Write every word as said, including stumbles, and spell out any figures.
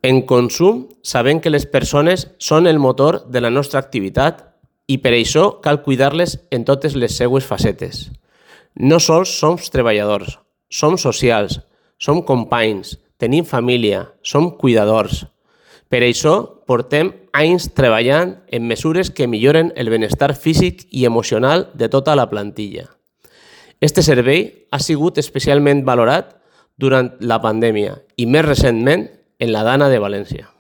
En Consum sabem que les persones són el motor de la nostra activitat i per això cal cuidar-les en totes les seues facetes. No sols som treballadors, som socials, som companys, tenim família, som cuidadors. Per això portem anys treballant en mesures que milloren el benestar físic i emocional de tota la plantilla. Este servei ha sigut especialment valorat durant la pandèmia i més recentment en la Dana de València.